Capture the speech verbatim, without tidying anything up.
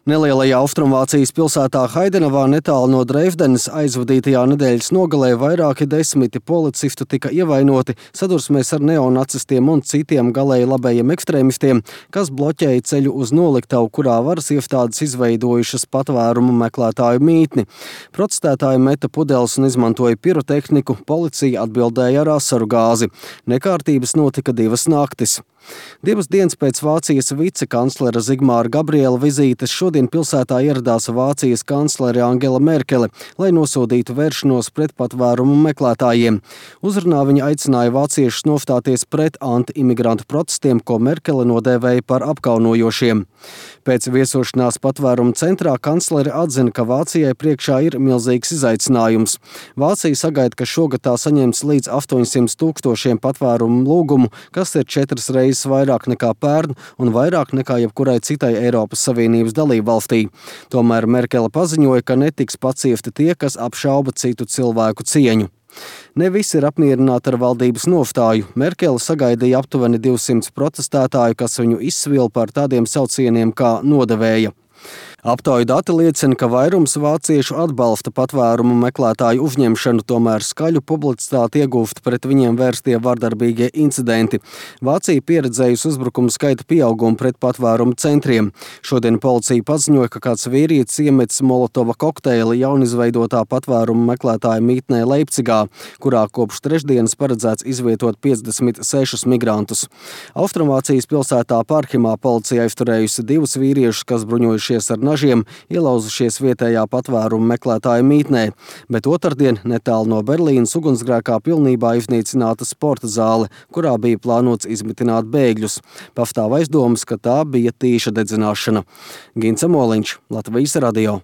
Nelielajā Austrumvācijas pilsētā Haidenavā netālu no Dresdenes aizvadītajā nedēļas nogalē vairāki desmiti policistu tika ievainoti sadursmēs ar neonacistiem un citiem galēji labējiem ekstrēmistiem, kas bloķēja ceļu uz noliktavu, kurā varas iestādes izveidojušas patvērumu meklētāju mītni. Protestētāji meta pudeles un izmantoja pirotehniku, policija atbildēja ar asaru gāzi. Nekārtības notika divas naktis. Divas dienas pēc Vācijas vicekanclera Zigmāra Gabriela vizītes šodien pilsētā ieradās Vācijas kanclere Angela Merkele, lai nosodītu vēršanos pret patvērumu meklētājiem. Uzrunā viņa aicināja vāciešus nostāties pret anti-imigrantu protestiem, ko Merkele nodēvēja par apkaunojošiem. Pēc viesošanās patvērumu centrā kanclere atzina, ka Vācijai priekšā ir milzīgs izaicinājums. Vācija sagaida, ka šogad tā saņems līdz astoņsimt tūkstošiem patvērumu lūgumu, kas ir četras reizes vairāk nekā pērn un vairāk nekā jebkurai citai Eiropas Savienības dalībvalstī. Tomēr Merkele paziņoja, ka netiks paciesti tie, kas apšauba citu cilvēku cieņu. Ne visi ir apmierināti ar valdības nostāju. Merkele sagaidīja aptuveni divsimt protestētāju, kas viņu izsvila par tādiem saucieniem kā nodevēja. Aptauju dati liecina, ka vairums vāciešu atbalsta patvērumu meklētāju uzņemšanu, tomēr skaļu publicitāti iegūst pret viņiem vērstie vardarbīgie incidenti. Vācija pieredzējusi uzbrukumu skaita pieaugumu pret patvērumu centriem. Šodien policija paziņoja, ka kāds vīrietis iemetis molotova kokteili jaunizveidotā patvērumu meklētāju mītnē Leipcigā, kurā kopš trešdienas paredzēts izvietot piecdesmit sešus migrantus. Austrumvācijas pilsētā Parhimā policija aizturējusi divus vīriešus, kas bruņojušies ar nažiem, ielauzušies vietējā patvērumu meklētāju mītnē, bet otrdien netālu no Berlīnas ugunsgrēkā pilnībā iznīcināta sporta zāle, kurā bija plānots izmitināt bēgļus. Pastāv aizdomas, ka tā bija tīša dedzināšana. Gints Amoliņš, Latvijas radio.